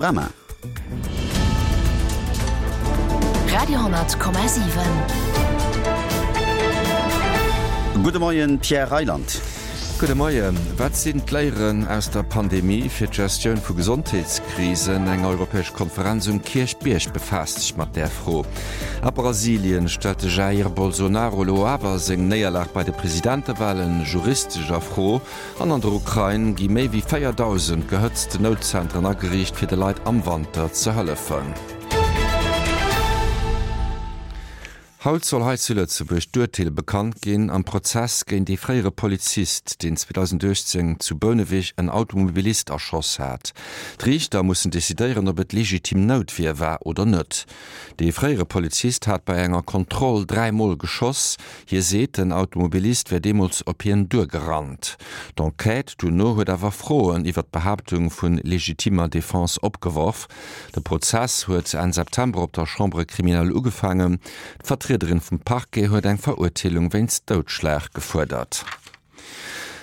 Panorama. Radio,7. Gudde Moien, Pierre Reyland. Gudde Moien. Wat sinn d'Léieren aus der Pandemie fir d'Gestioun vu Gesondheetskrisen? Eng europäesch Konferenz um Kierchbierg befaasst sech mat där Fro. A Brasilien stellt de Jair Bolsonaro elo awer seng Néierlag bei de Presidentewalen juristesch a Fro. An an der Ukrain gi méi wéi 4.000 gehëtzten Noutzentren ageriicht, fir de Leit am Wanter ze hëllefen. Haut soll hei zu Lëtzebuerg d'Urteel bekannt ginn am Prozess géint ee fréiere Polizist, deen 2018 zu Bouneweg en Automobilist erschoss hat. D'Riichter mussen decidéieren, ob et legitim Noutwier war oder net. Dee fréiere Polizist hat bei enger Kontroll 3 Mol geschoss. Hie seet, den Automobilist wär deemools op hien duergerannt. D'Enquête duerno huet awer Froen iwwer d'Behaaptung vu legitimer Defense opgeworf. De Prozess huet Enn September op der Chambre criminelle ugefaangen. D'Vertriederin vum Parquet huet eng Verurteelung wéinst Doudschlag gefuerdert.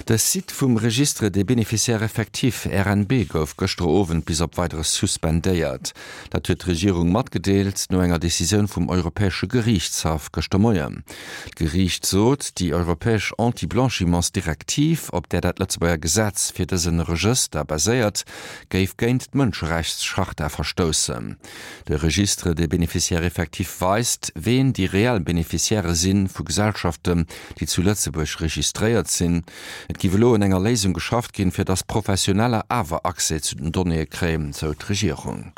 De Site vum Registre des bénéficiaires effectifs, RNB, gouf gëschter Owend bis op Weideres suspendéiert. Dat huet d'Regierung matgedeelt no enger Decisioun vum Europäesche Geriichtshaff gëschter Moien. D'Geriicht sot, déi europäesch Anti-Blanchiments-Direktiv, op där dat Lëtzebuerger Gesetz fir dëse Regëster baséiert, géif géint d'Mënscherechtscharta verstoussen. De Registre des bénéficiaires effectifs weist, ween déi reell Bénéficiairë si vu Gesellschaften, déi zu Lëtzebuerg registréiert sinn. Et géif elo un enger Léisung geschafft ginn, fir datt Professioneller awer Accès zu den Donnéeë kréien, sou d'Regierung.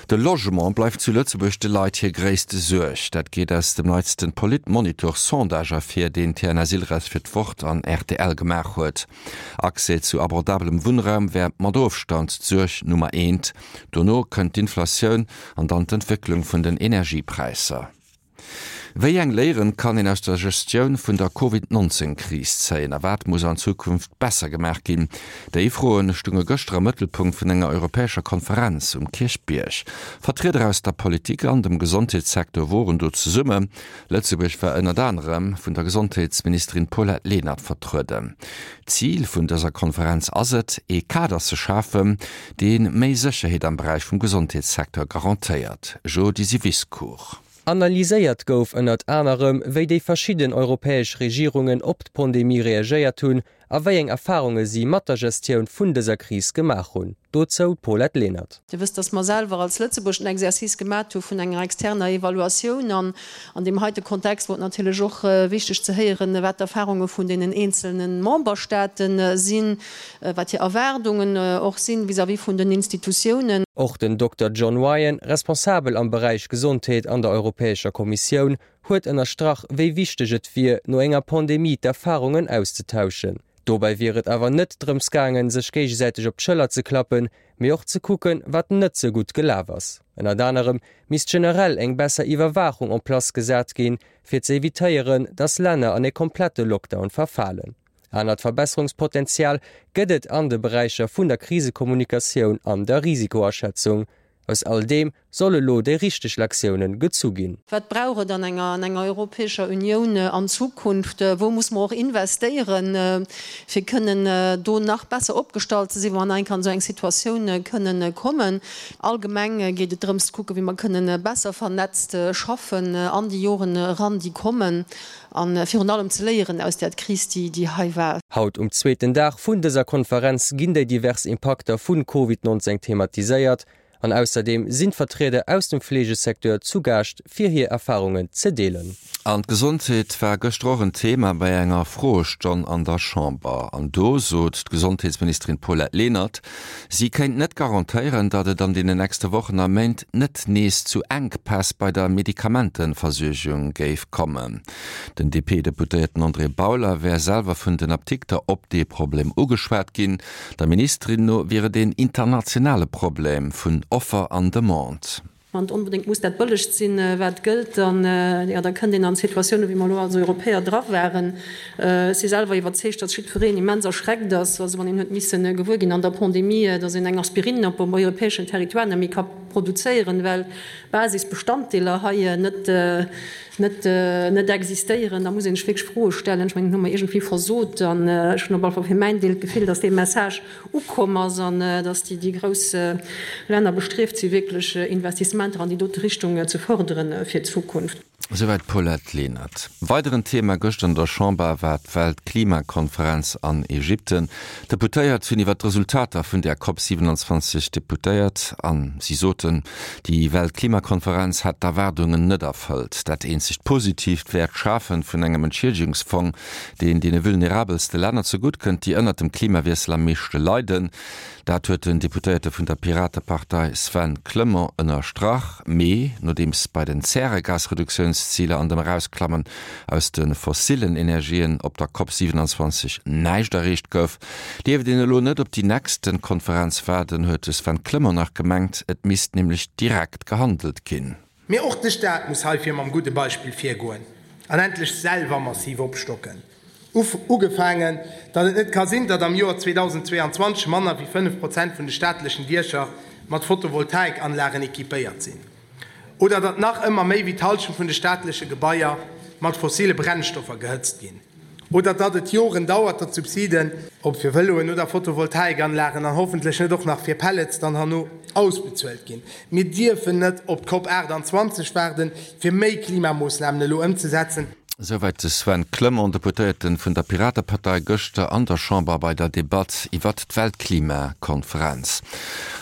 De Logement bleift zu Lëtzebuerg de Leit hir gréisste Suerg. Dat geet aus dem neitsten Politmonitor-Sondage ervir, deen TNS-Ilres fir d'Wort an rtl gemaach huet. Accès zu abordabelem Wunnraum wär mat Ofstand d'Suerg Nummer eent. Dono kënnt d'Inflatioun an dann d'Entwécklung vun den Energiepräisser. Wéi eng Léieren kann een aus der Gestioun vun der Covid 19 Kris zéien a wat muss an Zukunft besser gemaach ginn? Déi Froen stunge gëschter am Mëttelpunkt vun enger europäescher Konferenz um Kierchbierg. Vertrieder aus der Politik an dem Gesondheetssecteur woren do zesummen. Lëtzebuerg war ënnert anerem vun der Gesondheetsministerin Paulette Lenert vertrueden. Zil vun dëser Konferenz ass et, ee Kader ze schafen, dee méi Sécherheet am Beräich vum Gesondheetssecteur garantéiert. Jo Disiviscourt. Analyséiert gouf ënnert anerem, wéi déi verschidden europäesch Regierungen op d'Pandemie reagéiert hunn a wéi eng Erfarunge si mat der Gestioun vun dëser Kris gemaach hunn. Dozou d'Paulette Lenert. Dir wësst, dass mer selwer als Lëtzebuerg den Exercice gemat hu vun enger externer Evaluatioun. An an deem heite Kontext wor et natierlech och wichteg ze héieren, wat d'Erfarunge vun deenen eenzelne Memberstaate sinn, wat hir Erwaardungen och sinn vis-à-vis vun den Institutiounen. Och den Dokter John Ryan, Responsabel am Beräich Gesondheet an der Europäescher Kommissioun, huet ënnerstrach, wéi wichteg et wier, no enger Pandemie d'Erfarungen auszetauschen. Dobäi wier et awer net drëms gaangen, sech géigesäiteg op d'Schëller ze klappen, mee och ze kucken, wat net sou gutt gelaf ass. Ënnert anerem misst generell eng besser Iwwerwaachung en place gesat ginn, fir ze evitéieren, datt Länner an e komplette Lockdown verfalen. Anert Verbesserungspotenzial gëtt et an de Beräicher vun der Krisekommunikatioun an der Risikoaschätzung. Aus all deem solle lo déi richteg Lektiounen gezu ginn. Wat brauch et an enger an enger Europäescher Unioun an Zukunft? Wou muss mer och investéieren, fir kënnen do nach besser opgestallt ze sinn, wa mer nach eng Kéier an esou eng Situatioun kënnen kommen? Allgemeng geet et drëms ze kucken, wéi mer kënnen besser vernetzt schaffen an déi Joren eran, déi kommen. A virun allem ze léieren aus där Kris, déi hei war. Haut um zweeten Dag vun dëser Konferenz ginn déi divers Impakter vun Covid 19 thematiséiert an ausserdeem sinn d'Vertrieder aus dem Fleegesecteur zu Gaascht fir hir Erfarungen ze deelen. An d'Gesondheet war gëschter och en Thema bei enger Froestonn an der Chamber. An do sot d'Gesondheetsministerin Paulette Lenert, si kéint net garantéieren, datt et an deenen nächste Wochen a Méint net nees zu Enkpäss bei der Medikamenteversuergung géif kommen. Den DP-Deputéierten André Bauler wär selwer vun den Apdikter op dee Problem ugeschwat ginn. Der Ministerin no wier et een internationale Problem vun Offer an Demande. Wann et onbedéngt muss dat Bëllegst sinn, wat gëllt, dann, jo, da kënnt een an Situatiounen, wéi mer elo als Europäer dra waren. Ech si selwer iwwerzeegt, datt jiddwereen immens erschreckt ass, also wann een huet misse gewuer ginn an der Pandemie, datt een eng Aspirine op dem europäeschen Territoire net méi ka. produzéieren, well Basisbestanddeeler hei net, net, net existéieren, da muss ee sech wierklech Froe stellen. Ech mengen, do hu mer iergendwéi versot. An ech hunn op alle Fall fir mäin Deel d'Gefill, datt dee Message ukomm ass an datt déi, déi grouss Länner bestrieft si wierklech Investissementer an déi dote Richtung ze fërdere fir d'Zukunft. Esouwäit d'Paulette Lenert. Weideren Thema gëschter an der Chamber war d'Weltklimakonferenz an Ägypten. D'Deputéiert hunn iwwer d'Resultater vun där Cop 27 deputéiert a si soten, déi Weltklimakonferenz hätt d'Erwaardungen net erfëllt. Dat eenzegt Positiivt wär d'Schafe vun engem Entschiedigungsfong, deen deene vulnerabelste Länner zegutt kënnt, déi ënnert dem Klimawiessel am meeschte leiden. Dat huet den Deputéierte vun der Piratepartei Sven Clement ënnerstrach. Mee nodeems bei den Zäregasreduktiounsziler an dem Erausklammen aus de fossillen Energien op der Cop 27 näischt erreecht gouf, dierft een elo net op déi nächste Konferenz waarden, huet de Sven Clement nach gemengt. Et misst nämlech direkt gehandelt ginn. Mee och de Staat muss heifir mam gudde Beispill virgoen an endlech selwer massiv opstocken. Ugefaangen, datt et net ka sinn, datt am Joer 2022 manner wéi 5 Prozent vun de staatlechen Diecher mat Photovoltaikanlagen equipéiert sinn oder datt nach ëmmer méi wéi d'Hallschent vun de staatleche Gebaier mat fossile Brennstoffer gehëtzt ginn oder datt et Joren dauert, datt d'Subsiden, ob fir Vëloen oder Photovoltaikanlagen an hoffentlech net och nach fir Pellets, dann herno ausbezuelt ginn. Mir dierfen net op d'Cop 28 waarden, fir méi Klimamoossnamen elo ëmzesetzen. Esouwäit de Sven Clement, Deputéierten vun der Piratepartei, gëschter an der Chamber bei der Debatt iwwert d'Weltklimakonferenz.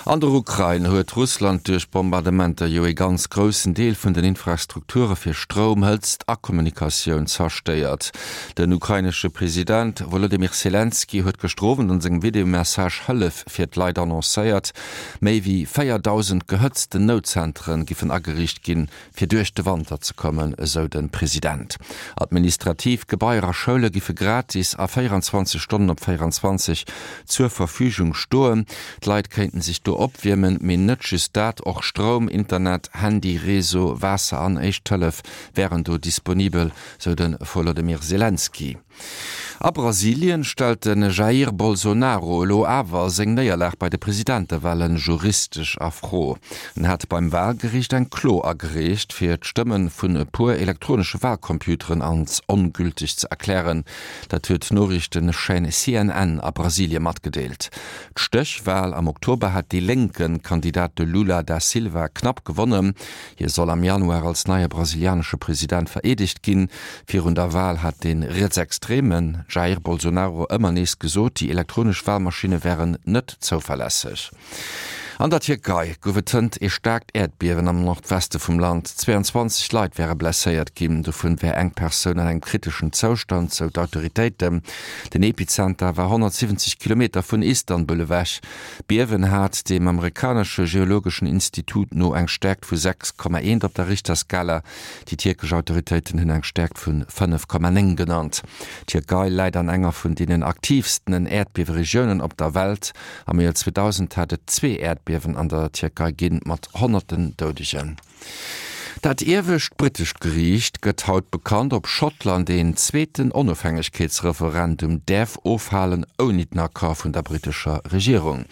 An der Ukrain huet Russland duerch Bombardementer jo ee ganz groussen Deel vun den Infrastrukture fir Stroum, Hëtzt a Kommunikatioun zerstéiert. Den ukrainesche President Wolodymyr Selenskyj huet gëschter Owend an sengem Videomessage Hëllef fir d'Leit annoncéiert. Méi wéi 4.000 gehëtzten Noutzentere giffen ageriicht ginn, fir duerch de Wanter ze kommen, esou de President. Administrativ Gebaier a Schoule giffe gratis a 24 Stonnen op 24 zur Verfügung stoen. D'Leit kéinten sech do opwiermen, mee net just dat, och Stroum, Internet, Handy, Réseau, Waasser an Éischt Hëllef wären do disponibel, sou de Volodymyr Selenskyj. A Brasilien stellt de Jair Bolsonaro elo awer seng Néierlag bei de Presidentewale juristesch a Fro. En hat beim Walgeriicht eng Klo agereecht, fir d'Stëmme vun e puer elektronesche Walcomputeren als ongülteg ze erklären. Dat huet d'Noriichtechaîne CNN a Brasilie matgedeelt. D'Stéchwal am Oktober hat dee lénke Kandidat de Lula da Silva knapp gewonnen. Hie soll am Januar als neie brasilianesche President vereedegt ginn. Virun der Wal hat de rietsextreme Jair Bolsonaro ëmmer nees gesot, déi elektronesch Walmaschinne wären net zouverlässeg. An der Tierkei gouf et hënt ee staarkt Äerdbiewen am Nordweste vum Land. 22 Leit wäre blesséiert ginn, dovun wär eng Persoun an engem kriteschen Zoustand, sou d'Autoritéiten. Den Epizenter war 170 Kilometer vun Istanbul ewech. D'Biewen hat dem amerikanesche geologeschen Institut no eng Stäerkt vu 6,1 op der Richterskala. Déi tierkesch Autoritéiten hunn eng Stäerkt vu 5,9 genannt. D'Tierkei läit an enger vun deenen aktiivsten Äerdbieweregiounen op der Welt. Am Joer 2000 hat et zwee Äerdbiewen an der Tierkei ginn, mat honnerten Doudegen. Dat iewescht brittescht Geriicht gëtt haut bekannt, ob Schottland een zweeten Onofhängegkeetsreferendum däerf ofhalen, ouni den Accord vun der brittescher Regierung.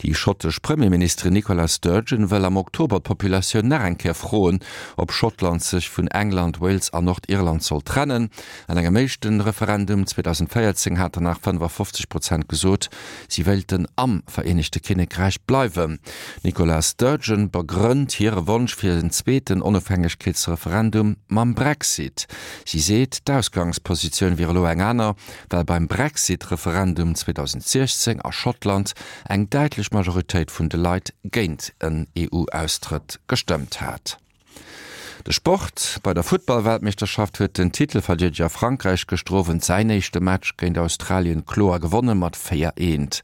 Déi schottesch Premierministerin Nicola Sturgeon wëll am Oktober d'Populatioun nach eng Kéier froen, ob Schottland sech vun England, Wales an Nordirland soll trennen. An engem éischte Referendum 2014 haten nach 55 Prozent gesot, si wéilten am Vereenegte Kinnekräich bleiwen. D'Nicola Sturgeon begrënnt hire Wonsch fir en zweeten Onofhängegkeetsreferendum mam Brexit. Si seet, d'Ausgangspositioun wier elo eng aner, well beim Brexit-Referendum 2016 a Schottland eng däitlech Majoritéit vun de Leit géint en EU-Austrëtt gestëmmt hat. De Sport, Bei der Futtball-Weltmeeschterschaft huet den Titelverdeedeger Frankräich gëschter Owend säin éischte Match géint Australien kloer gewonne mat 4, 1.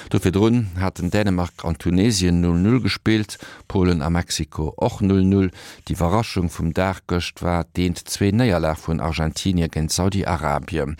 Do virdrun haten Dänemark an Tunesien 0, 0 gespillt, Polen a Mexiko och 0, 0. D'Iwwerraschung vum Dag gëscht war d'Eent 2 Néierlag vun Argentinie géint Saudi-Arabien.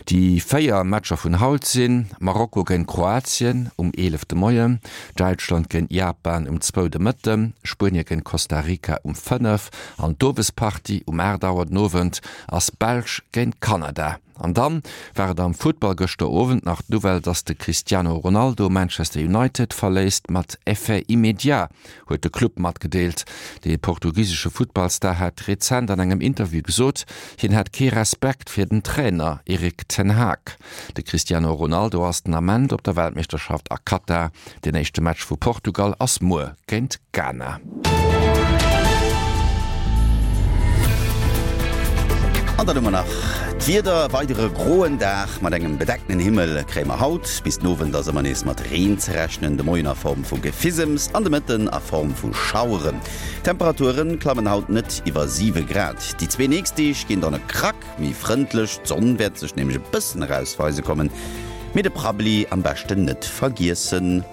Déi 4 Matcher vun haut sinn, Marokko géint Kroatien um 11 de Moien, Däitschland géint Japan um zwou de Mëtten, Spuenie géint Costa Rica um 5. An d'Owespartie um 8 Auer den Owend ass Belsch géint Kanada. An dann war et am Futtball gëschter Owend nach d'Nouvelle, dass de Cristiano Ronaldo Manchester United verléisst. Mat Effet immédiat, huet de Club matgedeelt. De portugisesche Futtballstar hat rezent an engem Interview gesot, hien hätt kee Respekt fir den Trainer Erik ten Hag. De Cristiano Ronaldo ass den Ament op der Weltmeeschterschaft a Katar. Den éischte Match vu Portugal ass muer géint Ghana. An dann hu mer nach d'Wieder, E weidere groen Dag mat engem bedeckten Himmel kréie mer haut. Bis den Owend ass ëmmer nees mat Reen ze rechnen, de Moien a Form vu Gefisems an de Mëtten a Form vu Schaueren. D'Temperature klammen haut net iwwer 7 Grad. Déi zwee nächst Deeg ginn dann e Krack méi frëndlech, d'Sonn wäert sech nämlech e bëssen erausweise kommen. Mee de Prabbeli am beschten net vergiessen.